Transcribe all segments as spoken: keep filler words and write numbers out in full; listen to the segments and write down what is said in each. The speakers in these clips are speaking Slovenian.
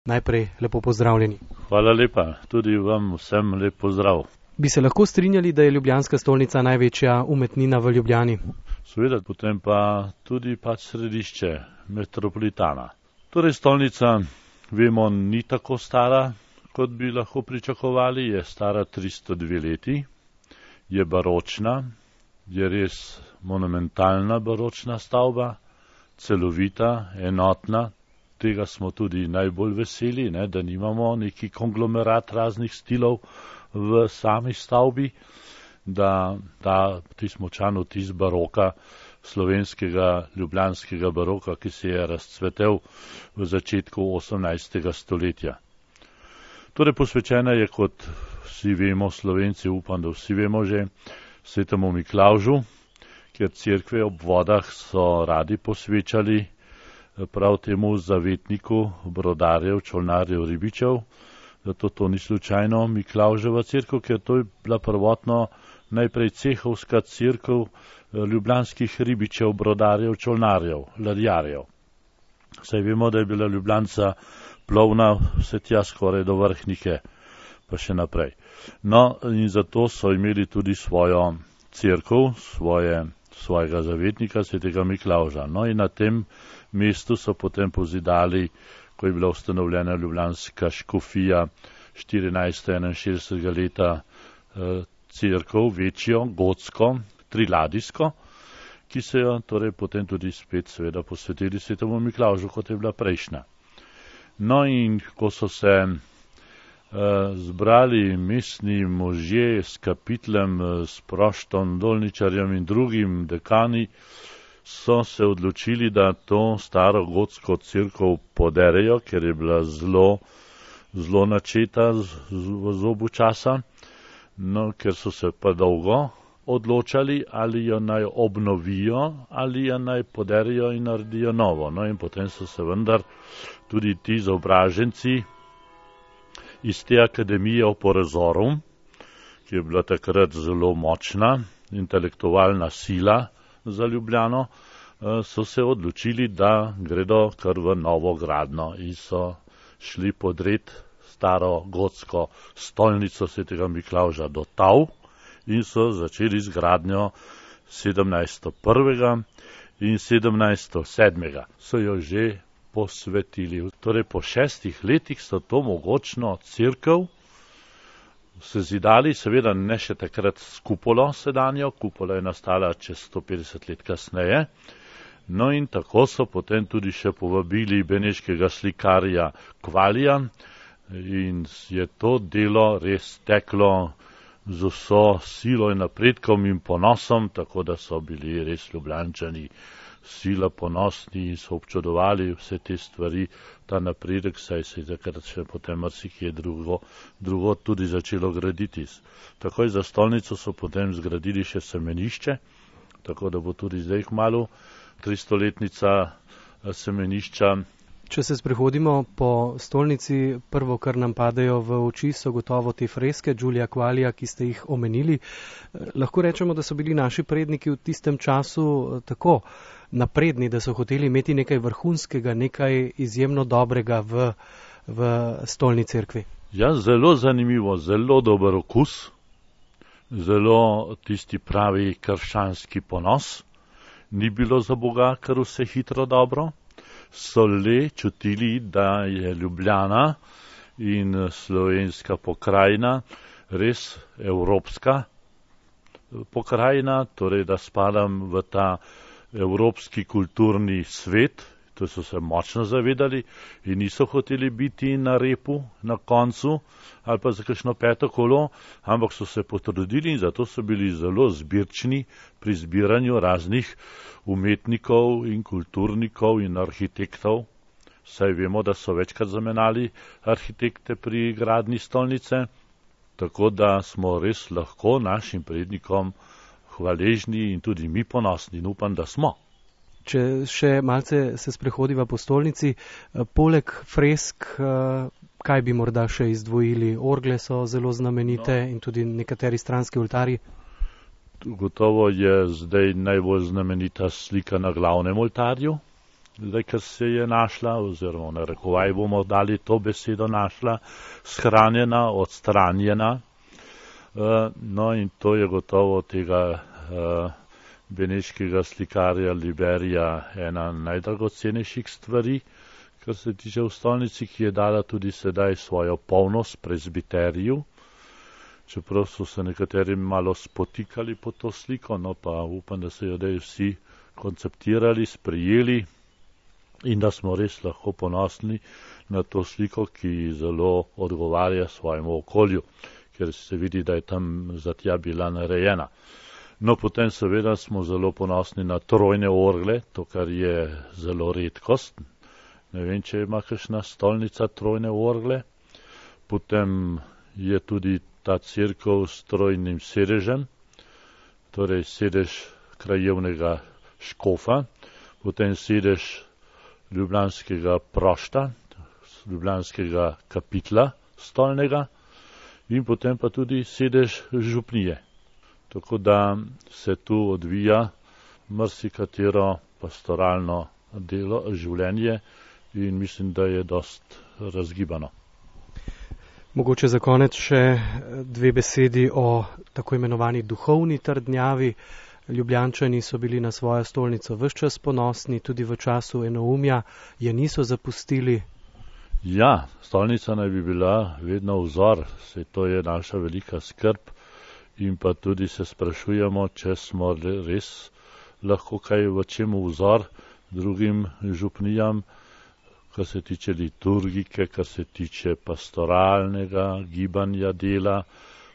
Najprej lepo pozdravljeni. Hvala lepa, tudi vam vsem lep pozdrav. Bi se lahko strinjali, da je ljubljanska stolnica največja umetnina v Ljubljani? Seveda, potem pa tudi pač središče metropolitana. Torej, stolnica, vemo, ni tako stara, kot bi lahko pričakovali, je stara tristo dve leti, je baročna, je res monumentalna baročna stavba, celovita, enotna. Tega smo tudi najbolj veseli, ne, da nimamo neki konglomerat raznih stilov v sami stavbi, da ta močan vtis baroka, slovenskega, ljubljanskega baroka, ki se je razcvetel v začetku osemnajstega stoletja. Torej, posvečena je, kot vsi vemo, Slovenci, upam, da vsi vemo že, svetemu Miklavžu, ker cerkve ob vodah so radi posvečali prav temu zavetniku brodarjev, čolnarjev, ribičev. Zato to ni slučajno Miklavževa cerkev, ker to je bila prvotno najprej cehovska cerkev ljubljanskih ribičev, brodarjev, čolnarjev, ladjarjev. Saj vemo, da je bila Ljubljanca plovna vse tja skoraj do Vrhnike, pa še naprej. No, in zato so imeli tudi svojo cerkev, svoje, svojega zavetnika, svetega Miklavža. No, in na tem mestu so potem pozidali, ko je bila ustanovljena ljubljanska škofija štirinajststo enainšestdesetega leta, cerkev, večjo, gotsko, triladijsko, ki se jo torej potem tudi spet seveda posvetili svetemu Miklavžu, kot je bila prejšnja. No, in ko so se uh, zbrali mestni možje s kapitlem, s Proštom, Dolničarjem in drugim dekani, so se odločili, da to staro gotsko cerkev poderejo, ker je bila zelo, zelo načeta v zobu časa, no, ker so se pa dolgo odločali, ali jo naj obnovijo, ali jo naj poderejo in naredijo novo. No, in potem so se vendar tudi ti izobraženci iz te akademije Oporezorum, ki je bila takrat zelo močna, intelektualna sila za Ljubljano, so se odločili, da gredo kar v novo gradno in so šli podret staro gotsko stolnico svetega Miklavža do Tav in so začeli z gradnjo sedemnajststo prvega in sedemnajststo sedmega. So jo že posvetili. Torej, po šestih letih so to mogočno cerkev sezidali, seveda ne še takrat s kupolo sedanjo, kupola je nastala čez sto petdeset let kasneje. No, in tako so potem tudi še povabili beneškega slikarja Kvalija in je to delo res teklo z vso silo in napredkom in ponosom, tako da so bili res Ljubljančani sila ponosni in so občudovali vse te stvari, ta napredek, saj se je takrat še potem marsikje drugo, drugo tudi začelo graditi. Takoj za stolnico so potem zgradili še semenišče, tako da bo tudi zdaj kmalu tristoletnica semenišča. Če se sprehodimo po stolnici, prvo, kar nam padejo v oči, so gotovo te freske Giulia Qualia, ki ste jih omenili. Lahko rečemo, da so bili naši predniki v tistem času tako napredni, da so hoteli imeti nekaj vrhunskega, nekaj izjemno dobrega v, v stolni cerkvi. Ja, zelo zanimivo, zelo dober okus, zelo tisti pravi krščanski ponos. Ni bilo za Boga kar vse hitro dobro. So le čutili, da je Ljubljana in slovenska pokrajina res evropska pokrajina, torej da spadam v ta evropski kulturni svet. To so se močno zavedali in niso hoteli biti na repu, na koncu ali pa za kakšno peto kolo, ampak so se potrudili in zato so bili zelo zbirčni pri zbiranju raznih umetnikov in kulturnikov in arhitektov. Saj vemo, da so večkrat zamenjali arhitekte pri gradnji stolnice, tako da smo res lahko našim prednikom hvaležni in tudi mi ponosni in upam, da smo. Če še malce se sprehodiva po stolnici, poleg fresk, kaj bi morda še izdvojili? Orgle so zelo znamenite no. In tudi nekateri stranski oltarji. Gotovo je zdaj najbolj znamenita slika na glavnem oltarju, zdaj, ker se je našla, oziroma na rekovaj bomo dali to besedo našla, shranjena, odstranjena. No in to je gotovo tega beneškega slikarja Liberija ena najdragocenejših stvari, kar se tiče v stolnici, ki je dala tudi sedaj svojo polnost prezbiteriju, čeprav so se nekateri malo spotikali po to sliko, no pa upam, da se jo daj vsi konceptirali, sprijeli in da smo res lahko ponosni na to sliko, ki zelo odgovarja svojemu okolju, ker se vidi, da je tam zatja bila narejena. No, potem seveda smo zelo ponosni na trojne orgle, to, kar je zelo redkost. Ne vem, če ima kakšna stolnica trojne orgle. Potem je tudi ta cerkev s trojnim sedežem, torej sedež krajevnega škofa, potem sedež ljubljanskega prošta, ljubljanskega kapitla stolnega in potem pa tudi sedež župnije. Tako da se tu odvija marsikatero pastoralno delo, življenje in mislim, da je dost razgibano. Mogoče za konec še dve besedi o tako imenovani duhovni trdnjavi. Ljubljančani so bili na svojo stolnico ves čas ponosni, tudi v času enoumja je niso zapustili. Ja, stolnica naj bi bila vedno vzor, saj to je naša velika skrb in pa tudi se sprašujemo, če smo res lahko kaj v čemu vzor drugim župnijam, kar se tiče liturgike, kar se tiče pastoralnega gibanja dela,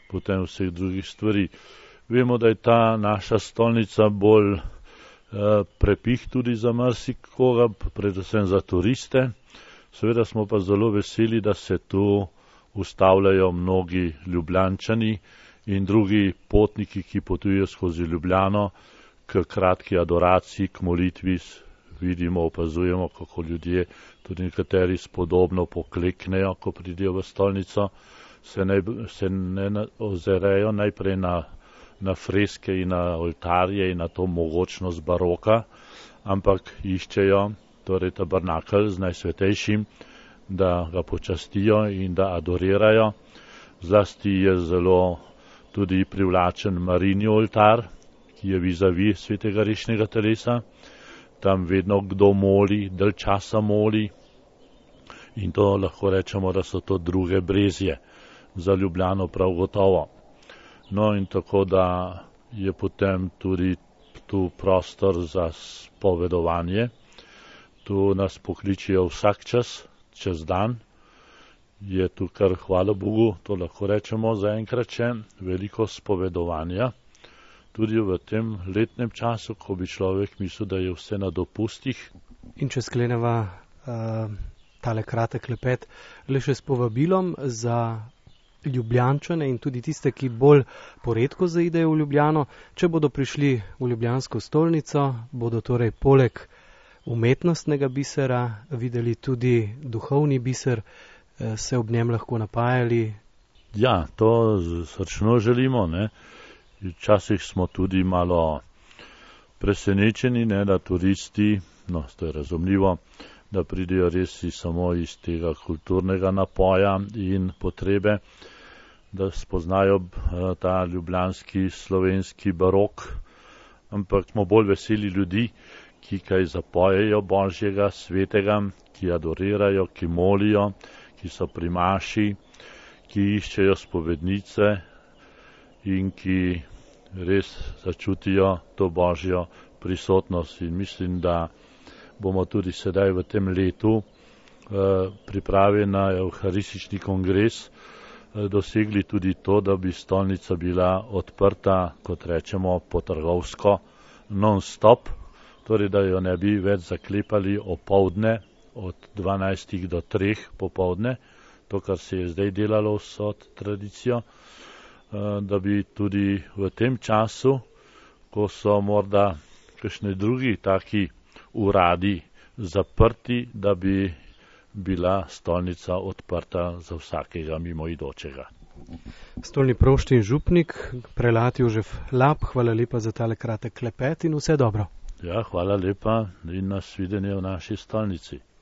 potem vseh drugih stvari. Vemo, da je ta naša stolnica bolj eh, prepih tudi za marsikoga, predvsem za turiste. Seveda smo pa zelo veseli, da se tu ustavljajo mnogi Ljubljančani in drugi potniki, ki potujejo skozi Ljubljano k kratki adoraciji, k molitvi. Vidimo, opazujemo, kako ljudje, tudi nekateri spodobno pokleknejo, ko pridejo v stolnico, se ne, se ne ozerejo najprej na, na freske in na oltarje in na to mogočnost baroka, ampak iščejo torej tabernakelj z najsvetejšim, da ga počastijo in da adorirajo. Zlasti je zelo tudi privlačen Marinji oltar, ki je vizavi svetega rešnega telesa. Tam vedno kdo moli, dalj časa moli in to lahko rečemo, da so to druge brezje za Ljubljano prav gotovo. No in tako, da je potem tudi tu prostor za spovedovanje. Tu nas pokličijo vsak čas, čez dan. Je tu kar, hvala Bogu, to lahko rečemo zaenkrat še, veliko spovedovanja. Tudi v tem letnem času, ko bi človek mislil, da je vse na dopustih. In če skleneva uh, tale kratek klepet, le še s povabilom za Ljubljančane in tudi tiste, ki bolj poredko zaidejo v Ljubljano, če bodo prišli v ljubljansko stolnico, bodo torej poleg umetnostnega bisera videli tudi duhovni biser, uh, se ob njem lahko napajali. Ja, to srčno želimo, ne. Včasih smo tudi malo presenečeni, ne, da turisti, no, to je razumljivo, da pridejo res samo iz tega kulturnega napoja in potrebe, da spoznajo ta ljubljanski slovenski barok, ampak smo bolj veseli ljudi, ki kaj zapojejo božjega, svetega, ki adorirajo, ki molijo, ki so pri maši, ki iščejo spovednice in ki res začutijo to božjo prisotnost. In mislim, da bomo tudi sedaj v tem letu eh, pripravi na evharistični kongres eh, dosegli tudi to, da bi stolnica bila odprta, kot rečemo, potrgovsko non-stop, torej da jo ne bi več zaklepali opoldne od dvanajstih do treh popoldne, to, kar se je zdaj delalo vso tradicijo, da bi tudi v tem času, ko so morda kakšni drugi taki uradi zaprti, da bi bila stolnica odprta za vsakega mimoidočega. Stolni prošt in župnik, prelat Jožef Lap, hvala lepa za tale kratek klepet in vse dobro. Ja, hvala lepa in nasvidenje v naši stolnici.